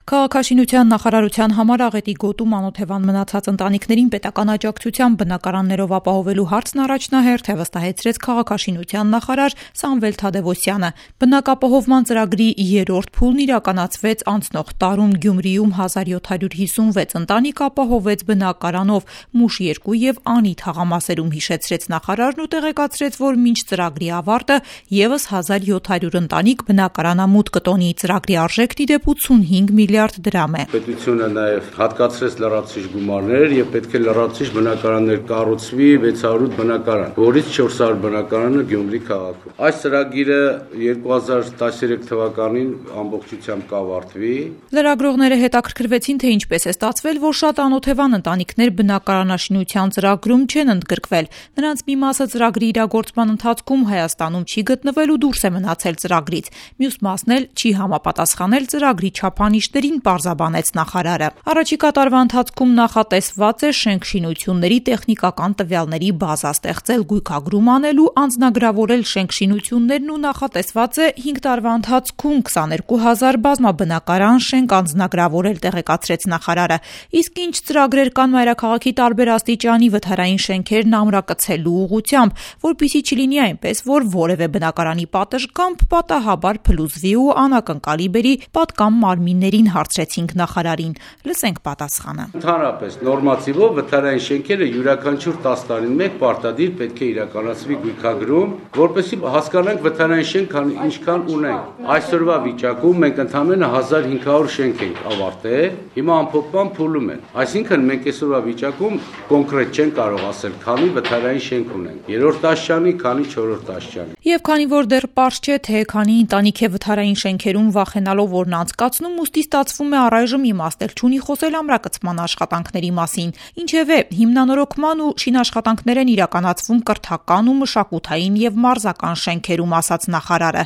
Քաղաքաշինության նախարարության համար աղետի գոտում անօթևան մնացած ընտանիքներին պետական աջակցությամբ բնակարաններով ապահովելու հարցն առաջնահերթ է, վստահեցրեց քաղաքաշինության նախարար Սամվել Թադևոսյանը։ Բնակապահովման ծրագրի երրորդ փուլն իրականացվեց անցնող տարում Գյումրիում 1756 ընտանիք ապահովեց բնակարանով, Մուշ 2 եւ Անի թաղամասերում, հիշեցրեց նախարարն ու տեղեկացրեց, որ մինչ ծրագրի ավարտը եւս 1700 ընտանիք բնակարանամուտ կտոնի։ Ծրագրի արժեքն ի դեպ 85 միլիարդ դրամ է։ Պետությունը նաև հատկացրեց լրացուցիչ գումարներ եւ պետք է լրացուցիչ բնակարաններ կառուցվի 608 բնակարան, որից 400 բնակարանը Գյումրի քաղաքում։ Այս ծրագիրը 2013 թվականին ամբողջությամբ կավարտվի։ Լրագրողները հետաքրքրվեցին, թե ինչպես է ստացվել, որ շատ անօթևան ընտանիքներ բնակարանաշինության ծրագրում չեն ընդգրկվել։ Նրանց մի մասը ծրագրի իրագործման ընթացքում Հայաստանում չի գտնվել ու դուրս է մնացել ծրագրից։ Մյուս մասն էլ չի համապատասխանել ծրագրի չափանիշներին, պարզաբանեց նախարարը։ Առաջիկա տարվա ընթացքում նախատեսված է շենք-շինությունների տեխնիկական տվյալների բազա ստեղծել, գույքագրում անել ու անձնագրավորել շենք-շինություններն ու նախատեսված է 5 տարվա ընթացքում 22000 բազմաբնակարան շենք անձնագրավորել, տեղեկացրեց նախարարը։ Իսկ ինչ ծրագրեր կան մայրաքաղաքի տարբեր աստիճանի վթարային շենքերն ամրակցելու ուղղությամբ, որպեսզի չլինի այնպես, որ որևէ բնակարանի պատշգամբ պատահաբար փլուզվի ու անակնկալի բերի պատկան մարմիններին, հարցրեցինք նախարարին։ Լսենք պատասխանը։ Ընդհանրապես նորմատիվով վթարային շենքերը յուրաքանչյուր 10 տարին մեկ պարտադիր պետք է իրականացվի գույքագրում, որպեսզի հասկանանք վթարային շենք ինչքան ունենք։ Այսօրվա վիճակում մենք ընդամենը 1500 շենք ենք ավարտել, հիմա ամփոփման փուլում են։ Այսինքն մենք այսօրվա վիճակում կոնկրետ չենք կարող ասել, քանի վթարային շենք ունենք։ Երրորդ աստիճանի, քանի չորրորդ աստիճանի։ Եվ քանի որ դեռ պարզ չէ, թե քանի ընտանիք է վթարային շենքերում վախենալով որն անցկացնում, ուստի ստացվում է առայժմ իմաստ չունի խոսել ամրակցման աշխատանքների մասին։ Ինչևէ, հիմնանորոգման ու շինաշխատանքներ են իրականացվում կրթական ու մշակութային եւ մարզական շենքերում, ասաց նախարարը։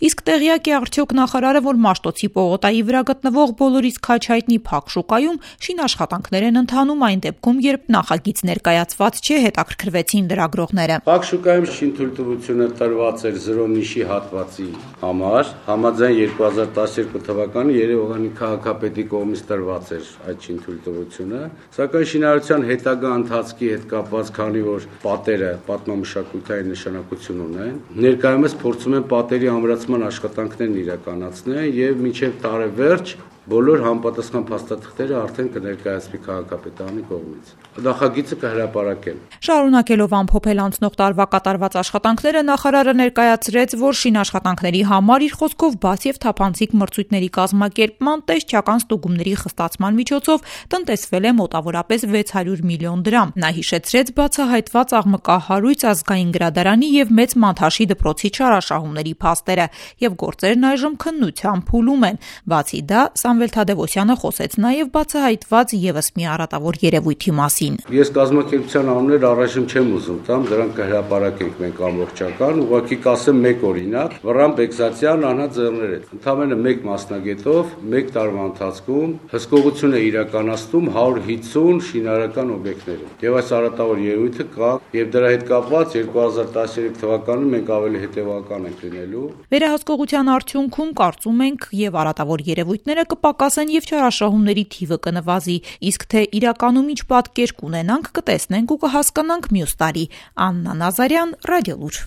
Իսկ տեղյակ է արդյոք նախարարը, որ Մաշտոցի պողոտայի վրա գտնվող բոլորից քաջ հայտնի Փակ շուկայում շինաշխատանքներ են ընթանում այն դեպքում, երբ նախագիծ ներկայացված չէ, հետաքրքրվեցին լրագրողները։ Փակ շուկայում շինթույլտվությունը տրված էր 0 նիշի հատվածի համար, համաձայն 2012 թվականի Երևանի քաղաքապետի կողմից տրված էր այդ շինթույլտվությունը, սակայն շինարարության հետագա ընթացքի հետ կապված, քանի որ պատերը պատմամշակութային նշանակություն ունեն, ներկայումս փորձում են պատերի ամրացման աշխատանքներն իրականացնել եւ մինչեւ տարեվերջ բոլոր համապատասխան փաստաթղթերը արդեն կներկայացվի քաղաքապետարանի կողմից։ Նախագիծը կհրապարակեն։ Շարունակելով ամփոփել անցնող տարվա կատարված աշխատանքները, նախարարը ներկայացրեց, որ շինաշխատանքների համար իր խոսքով բաց եւ թափանցիկ մրցույթների կազմակերպման, տեսչական ստուգումների խստացման միջոցով տնտեսվել է մոտավորապես 600 միլիոն դրամ։ Նա հիշեցրեց բացահայտված աղմկահարույց ազգային գրադարանի եւ մեծ մանթաշի դպրոցի չարաշահումների փաստերը եւ գործերն այժմ քննության փուլում են։ Բացի դա, Սամվել Թադևոսյանը խոսեց նաև բացահայտված եւս մի առատավոր երևույթի մասին։ Ես կազմակերպության անուններ առայժմ չեմ ուզում տամ, դրանք կհրապարակենք մենք ամբողջական, ուղղակի կասեմ մեկ օրինակ, Վռամ Բեգզատյան, Անա Ձեռներետ։ Ընդամենը մեկ մասնագետով, մեկ տարվա ընթացքում հսկողություն է իրականացնում 150 շինարարական օբյեկտներում։ Եվ այս առատավոր երևույթը կա, եւ դրա հետ կապված 2013 թվականին մենք ավելի հետեւական ենք լինելու։ Վերահսկողության արդյունքում կարծում ենք եւ առատավոր երևույթները կպակասեն եւ չարաշահումների թիվը կնվազի, իսկ թե իրականում ինչ պատկեր կունենանք, կտեսնենք ու կհասկանանք մյուս տարի։ Աննա Նազարյան, Ռադիոլուր։